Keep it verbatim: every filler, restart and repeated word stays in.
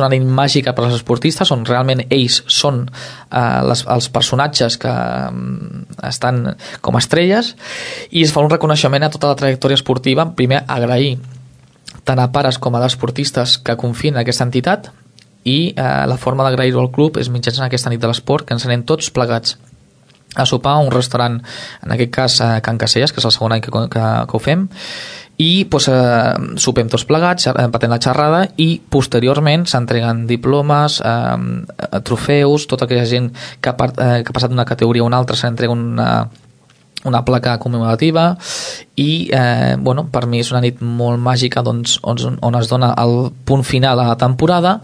una nit màgica per als esportistes on realment ells són eh, les, els personatges que um, estan com estrelles, i es fa un reconeixement a tota la trajectòria esportiva. Primer, agrair tant a pares com a esportistes que confien en aquesta entitat, i eh, la forma d'agrair-ho al club és mitjançant aquesta nit de l'esport, que ens anem tots plegats a sopar a un restaurant, en aquest cas a Can Caselles, que és el segon any que, que, que ho fem, i doncs, eh, sopem tots plegats, empatem la xerrada, i posteriorment s'entreguen diplomes, eh, trofeus, tota aquella gent que ha, part, eh, que ha passat d'una categoria a una altra, s'entrega una, una placa commemorativa, i eh, bueno, per mi és una nit molt màgica, doncs, on, on es dona el punt final a la temporada,